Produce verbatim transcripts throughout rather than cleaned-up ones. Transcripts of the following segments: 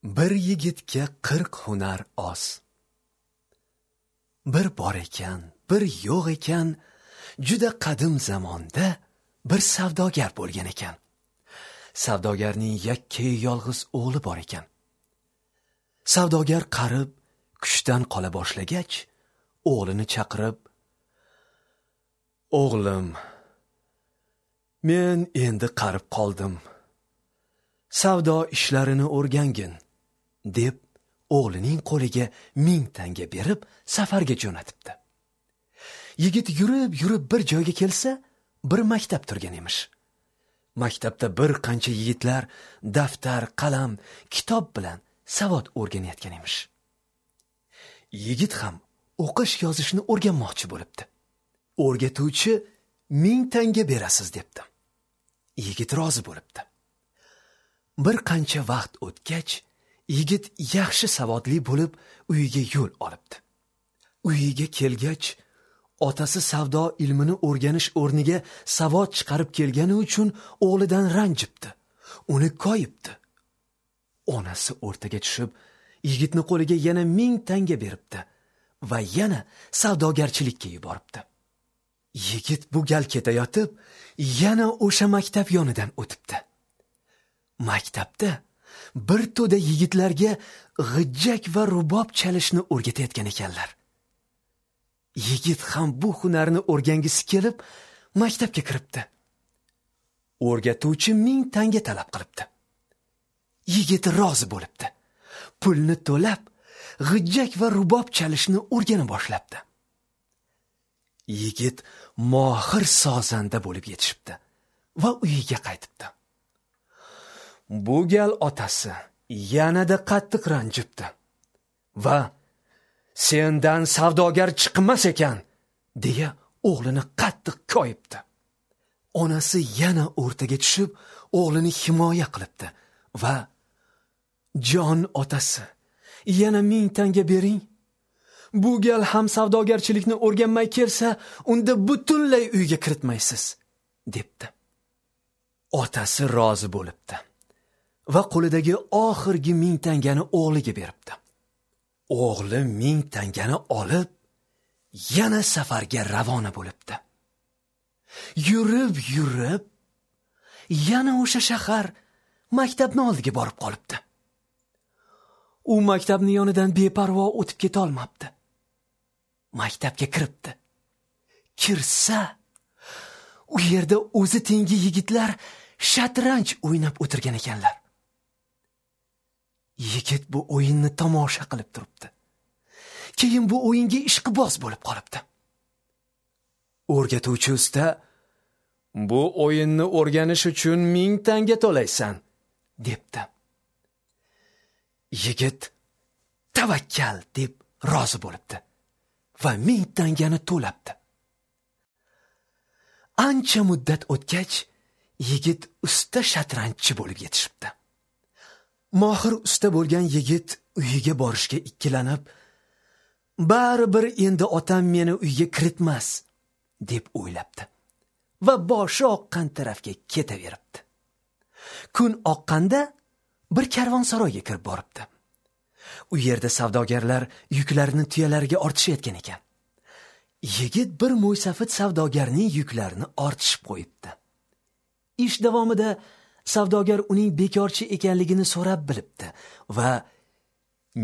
Bir yigitga qirq hunar oz. Bir bor ekan, bir yo'q ekan, juda qadim zamonda bir savdogar bo'lgan ekan. Savdogarning yakka yolg'iz o'g'li bor ekan. Savdogar qarib, kuchdan qola boshlagach, o'g'lini chaqirib, "O'g'lim, men endi qarib qoldim. Savdo ishlarini o'rgangin" deb o'g'lining qo'liga ming tanga berib safarga jo'natibdi. Yigit yurib yurib bir joyga kelsa, bir maktab turgan emish. Maktabda bir qancha yigitlar daftar, qalam, kitob bilan savod o'rganayotgan emish. Yigit ham o'qish yozishni o'rganmoqchi bo'libdi. O'rgatuvchi ming tanga berasiz debdi. Yigit rozi bo'libdi. Bir qancha vaqt o'tgach, yigit yaxshi savodli bo'lib uyiga yo'l olibdi. Uyiga kelgach, otasi savdo ilmini o'rganish o'rniga savod chiqarib kelgani uchun o'g'lidan ranjibdi, uni koyibdi. Onasi o'rtaga tushib, yigitni qo'liga yana ming tanga beribdi va yana savdogarchilikka yuboribdi. Yigit bu gal ketayotib, yana o'sha maktab yonidan o'tibdi. Maktabda bir to'da yigitlarga g'ijjak va rubob chalishni o'rgatayotgan ekanlar. Yigit ham bu hunarni o'rgangisi kelib, maktabga kiribdi. O'rgatuvchi ming tanga talab qilibdi. Yigit rozi bo'libdi. Pulni to'lab, g'ijjak va rubob chalishni o'rgana boshlabdi. Yigit mohir sozanda bo'lib yetishibdi va uyiga qaytibdi. Bu gal otasi yanada qattiq ranjibdi va "Sendan savdogar chiqmas ekan" deya o'g'lini qattiq koyibdi. Onasi yana o'rtaga tushib, o'g'lini himoya qilibdi va "Jon otasi, yana ming tanga bering. Bu gal ham savdogarchilikni o'rganmay kelsa, unda butunlay uyga kiritmaysiz" debdi. Otasi rozi bo'libdi va qo'lidagi oxirgi ming tangani o'g'liga beribdi. O'g'li ming tangani olib, yana safarga ravona bo'libdi. Yurib yurib, yana o'sha shahar maktabni oldiga borib qolibdi. U maktabni yonidan beparvo o'tib keta olmabdi. Maktabga kiribdi. Kirsa, u yerda o'zi tengi yigitlar shatranj o'ynab o'tirgan ekanlar. Yigit bu o'yinni tomosha qilib turibdi. Keyin bu o'yinga ishqiboz bo'lib qolibdi. O'rgatuvchi usta, "Bu o'yinni o'rganish uchun ming tanga to'laysan" debdi. Yigit tavakkal deb rozi bo'libdi va ming tangani to'labdi. Ancha muddat o'tgach, yigit usta shatranjchi bo'lib yetishibdi. Mohir usta bo'lgan yigit uyiga borishga ikkilanib, "Baribir endi otam meni uyga kiritmas" deb o'ylabdi va boshi oqqan tarafga ketaveribdi. Kun oqqanda bir karvonsaroyga kirib boribdi. U yerda savdogarlar yuklarini tuyalariga ortishayotgan ekan. Yigit bir mo'ysafid savdogarning yuklarini ortishib qo'yibdi. Ish davomida savdogar uning bekorchi ekanligini so'rab bilibdi va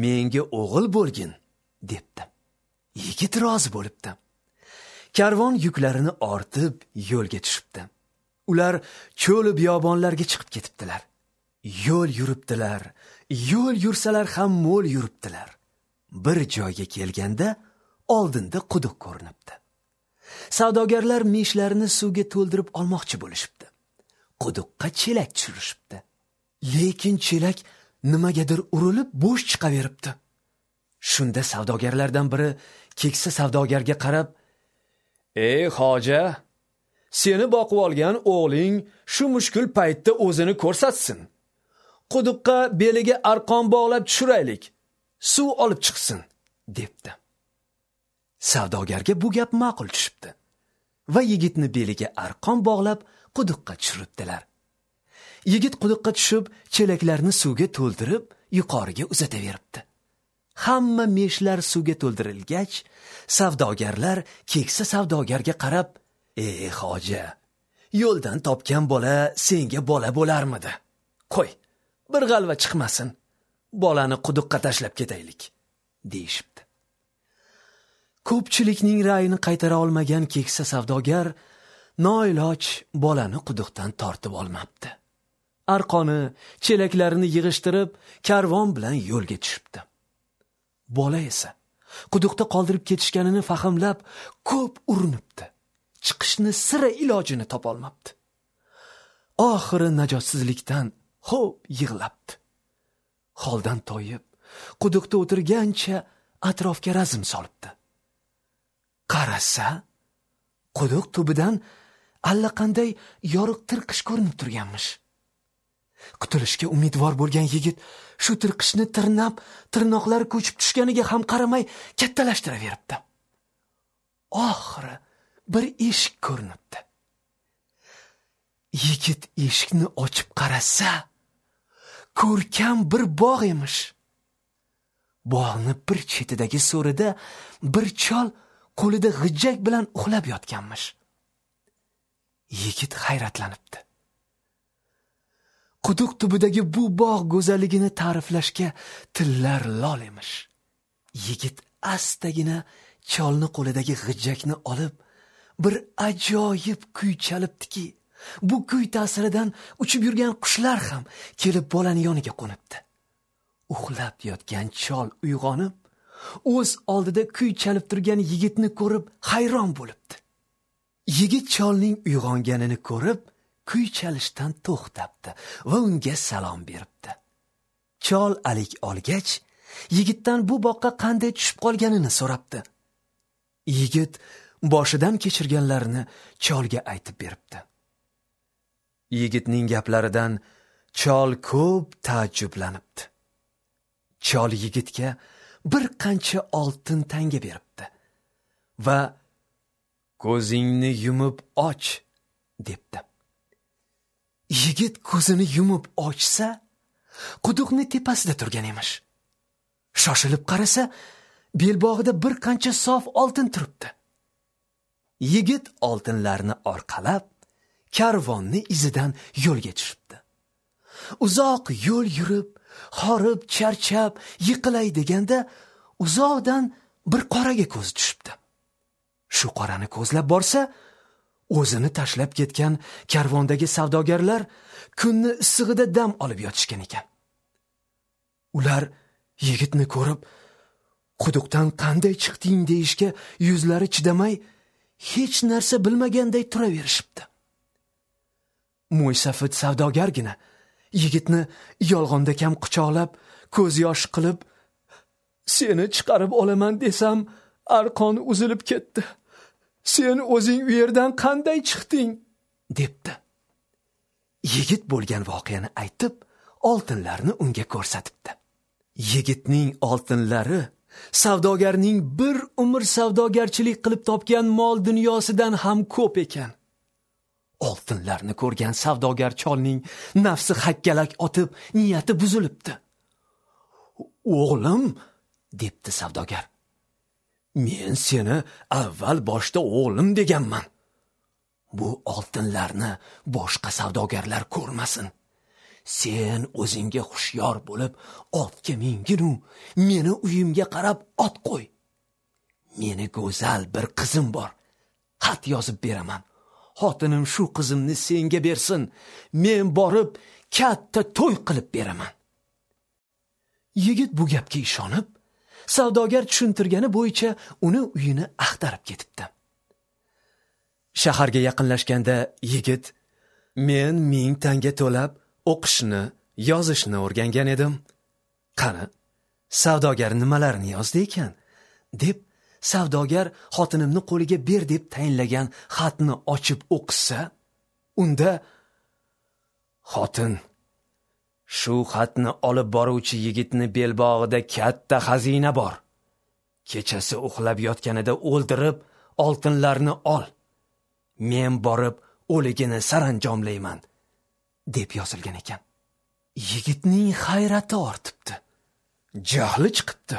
"Menga o'g'il bo'lgin" debdi. Yigit rozi bo'libdi. Karvon yuklarini ortib yo'lga tushibdi. Ular cho'l biyobonlarga chiqib ketibdilar. Yo'l yuribdilar, yo'l yursalar ham mo'l yuribdilar. Bir joyga kelganda oldinda quduq ko'rinibdi. Savdogarlar mishlarini suvga to'ldirib olmoqchi bo'lishibdi. Quduqqa chelak tushirishibdi. Lekin chelak nimagadir urilib bo'sh chiqaveribdi. Shunda savdogarlardan biri keksa savdogarga qarab, "Ey xo'ja, seni boqib olgan o'g'ling shu mushkul paytda o'zini ko'rsatsin. Quduqqa beliga arqon bog'lab tushiraylik, suv olib chiqsin" debdi. Savdogarga bu gap ma'qul tushibdi va yigitni beliga arqon bog'lab quduqqa tushiribdilar. Yigit quduqqa tushib, chelaklarni suvga to'ldirib, yuqoriga uzataveribdi. Hamma meshlar suvga to'ldirilgach, savdogarlar keksa savdogarga qarab, "Ey hoji, yo'ldan topgan bola senga bola bo'larmidi? Qo'y, bir g'alva chiqmasin, bolani quduqqa tashlab ketaylik", deyishibdi. Ko'pchilikning ra'yini qaytara olmagan keksa savdogar noiloj bolani quduqdan tortib olmabdi. Arqoni, chelaklarini yig'ishtirib, karvon bilan yo'lga tushibdi. Bola esa quduqda qoldirib ketishganini fahmlab, ko'p urinibdi. Chiqishni sira ilojini topa olmabdi. Oxiri najotsizlikdan xo'p yig'labdi. Holdan toyib, quduqda o'tirgancha atrofga razm solibdi. Qarasa, quduq tubidan allaqanday yorug' tirqish ko'rinib turganmish. Qutulishga umidvor bo'lgan yigit shu tirqishni tirnab, tirnoqlari ko'chib tushganiga ham qaramay kattalashtiraveribdi. Oxiri bir eshik ko'rinibdi. Yigit eshikni ochib qarasa, ko'rkam bir bog' emish. Bog'ni bir chetidagi so'rida bir chol qo'lida g'ijjak bilan uxlab yotganmish. Yigit hayratlanibdi. Quduq tubidagi bu bog' go'zalligini ta'riflashga tillar lol emish. Yigit astagina cholni qo'lidagi g'ijjakni olib, bir ajoyib kuy chalibdiki, bu kuy ta'siridan uchib yurgan qushlar ham kelib bolani yoniga qo'nibdi. Uxlab yotgan chol uyg'onib, o'z oldida kuy chalib turgan yigitni ko'rib hayron bo'libdi. Yigit cholning uyg'onganini ko'rib, kuy chalishdan to'xtabdi va unga salom beribdi. Chol alik olgach, yigitdan bu boqqa qanday tushib qolganini so'rabdi. Yigit boshidan kechirganlarini cholga aytib beribdi. Yigitning gaplaridan chol ko'p taajjublanibdi. Chol yigitga bir qancha oltin tanga beribdi va "Ko'zingni yumib och" debdi. Yigit ko'zini yumib ochsa, quduqning tepasida turgan emish. Shoshilib qarasa, belbog'ida bir qancha sof oltin turibdi. Yigit oltinlarni orqalab, karvonni izidan yo'lga tushibdi. Uzoq yo'l yurib, horib, charchab, yiqilay deganda uzoqdan bir qoraga ko'zi tushibdi. Shu qorani ko'zlab borsa, o'zini tashlab ketgan karvondagi savdogarlar kunni issig'ida dam olib yotishgan ekan. Ular yigitni ko'rib, quduqdan qanday chiqding deyishga yuzlari chidamay, hech narsa bilmaganday turaverishibdi. Mo'ysafid savdogargina yigitni yolg'onda kam quchoqlab, ko'z yosh qilib, "Seni chiqarib olaman desam, arqon uzilib ketdi. Sen o'zing u yerdan qanday chiqding?" debdi. Yigit bo'lgan voqeani aytib, oltinlarni unga ko'rsatibdi. Yigitning oltinlari savdogarning bir umr savdogarchilik qilib topgan mol dunyosidan ham ko'p ekan. Oltinlarni ko'rgan savdogar cholning nafsi hakkalak otib, niyati buzilibdi. "O'g'lim", debdi savdogar, "men seni avval boshda o'g'lim deganman. Bu oltinlarni boshqa savdogarlar ko'rmasin. Sen o'zingga hushyor bo'lib otga mingin-u, meni uyimga qarab ot qo'y. Meni go'zal bir qizim bor. Xat yozib beraman. Xotinim shu qizimni senga bersin. Men borib katta to'y qilib beraman." Yigit bu gapga ishonib, savdogar tushuntirgani bo'yicha uni uyini axtarib ketibdi. Shaharga yaqinlashganda yigit, "Men ming tanga to'lab o'qishni, yozishni o'rgangan edim. Qani, savdogar nimalarni yozdi ekan?" deb savdogar xotinimni qo'liga ber deb tayinlagan xatni ochib o'qisa, unda "Xotin, shu xatni olib boruvchi yigitni belbog'ida katta xazina bor. Kechasi uxlab yotganida o'ldirib, oltinlarni ol. Men borib o'ligini saranjomlayman", deb yozilgan ekan. Yigitning hayrati ortibdi. Jahli chiqibdi.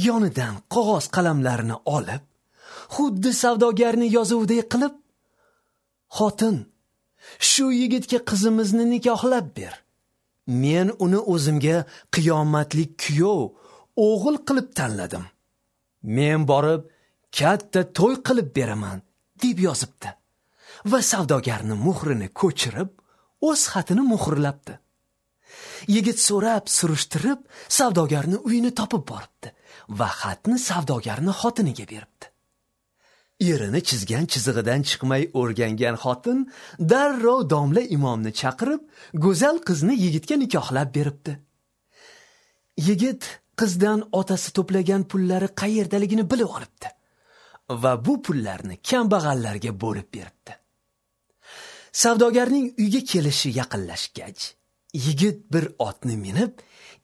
Yonidan qog'oz qalamlarini olib, xuddi savdogarni yozuvidek qilib, "Xotin, shu yigitga qizimizni nikohlab ber. Men uni o'zimga qiyomatlik kuyov, o'g'il qilib tanladim. Men borib katta to'y qilib beraman" deb yozibdi. Va savdogarni muhrini ko'chirib, o'z xatini muhrlabdi. Yigit so'rab, surishtirib, savdogarni uyini topib boribdi va xatni savdogarni xotiniga beribdi. Erini chizgan chizig'idan chiqmay o'rgangan xotin darrov domla imomni chaqirib, go'zal qizni yigitga nikohlab beribdi. Yigit qizdan otasi to'plagan pullari qayerdaligini bilib olibdi va bu pullarni kambag'allarga bo'lib beribdi. Savdogarning uyga kelishi yaqinlashgach, yigit bir otni minib,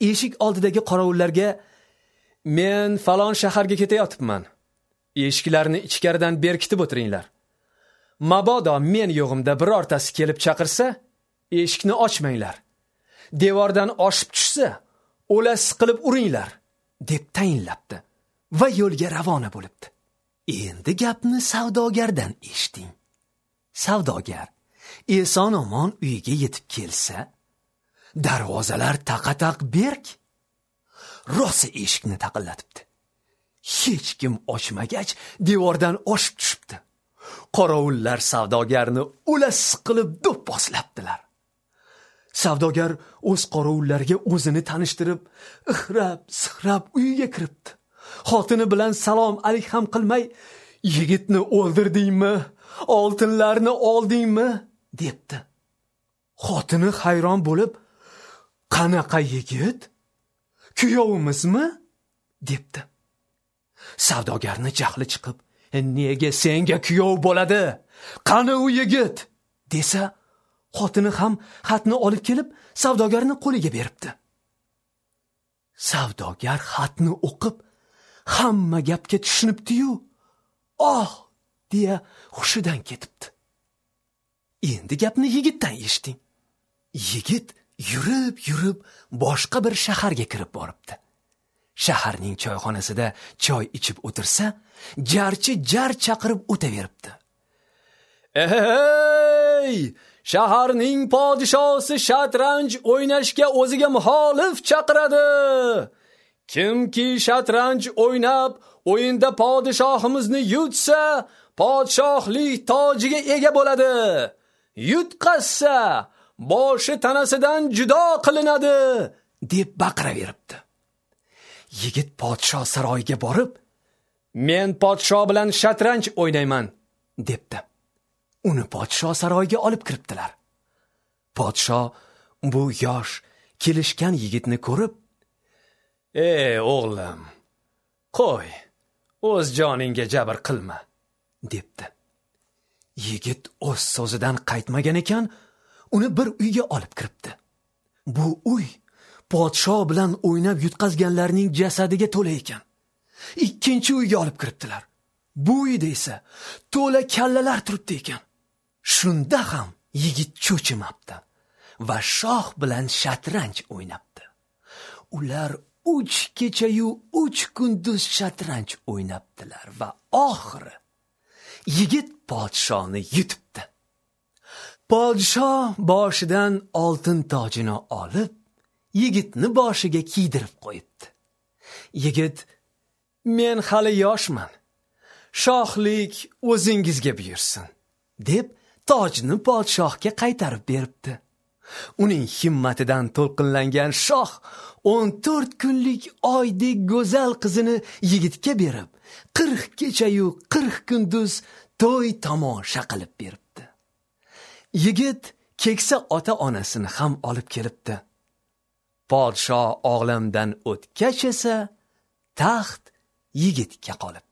eshik oldidagi qorovullarga "Men falon shaharga ketayotibman. Eshiklarni ichkaridan berkitib o'tiringlar. Mabodo men yo'g'imda birortasi kelib chaqirsa, eshikni ochmanglar. Devordan oshib tushsa, o'lasiz qilib uringlar" deb tayinlabdi va yo'lga ravona bo'libdi. Endi gapni savdogardan eshiting. Savdogar eson omon uyiga yetib kelsa, darvozalar taqa-taq berk. Rosa eshikni taqillatibdi. Hech kim ochmagach, devordan oshib tushibdi. Qorovullar savdogarni o'lasiz qilib do'pposlabdilar. Savdogar o'z qorovullarga o'zini tanishtirib, ixrab, sixrab uyiga kiribdi. Xotini bilan salom alik ham qilmay, "Yigitni o'ldirdingmi? Oltinlarni oldingmi?" debdi. Xotini hayron bo'lib, "Qanaqa yigit? Kuyovimizmi?" debdi. Savdogarni jahli chiqib, "Nega senga kuyov bo'ladi? Qani u yigit?" desa, xotini ham xatni olib kelib, savdogarni qo'liga beribdi. Savdogar xatni o'qib, hamma gapga tushunibdi-yu, "Oh!" deya hushidan ketibdi. Endi gapni yigitdan eshiting. Yigit yurib yurib boshqa bir shaharga kirib boribdi. Shaharning choyxonasida choy ichib o'tirsa, jarchi jar chaqirib o'taveribdi. "Ey, shaharning podshosi shatranj o'ynashga o'ziga muxolif chaqiradi. Kimki shatranj o'ynab, o'yinda podshohimizni yutsa, podshohlik tojiga ega bo'ladi. Yutqazsa, boshi tanasidan judo qilinadi" deb baqiraveribdi. Yigit podsho saroyiga borib, "Men podsho bilan shatranj o'ynayman" debdi. Uni podsho saroyiga olib kiribdilar. Podsho bu yosh, kelishgan yigitni ko'rib, "Ey o'g'lim, qo'y, o'z joningga jabr qilma" debdi. Yigit o'z so'zidan qaytmagan ekan, uni bir uyga olib kiribdi. Bu uy podsho bilan o'ynab yutqazganlarning jasadiga to'la ekan. Ikkinchi uyga olib kiribdilar. Bu uyda esa to'la kallalar turibdi ekan. Shunda ham yigit cho'chimabdi va shoh bilan shatranj o'ynabdi. Ular uch kecha-yu uch kunduz shatranj o'ynabdilar va oxiri yigit podshoni yutibdi. Podsho boshidan oltin tojini olib, yigitni boshiga kiydirib qo'yibdi. Yigit, "Men hali yoshman. Shohlik o'zingizga buyursin" deb tojni podshohga qaytarib beribdi. Uning himmatidan to'lqinlangan shoh o'n to'rt kunlik oydek go'zal qizini yigitga berib, qirq kecha-yu qirq kunduz to'y tomosha qilib beribdi. Yigit keksa ota-onasini ham olib kelibdi. Podsho olamdan o'tgach esa taxt yigitga qolibdi.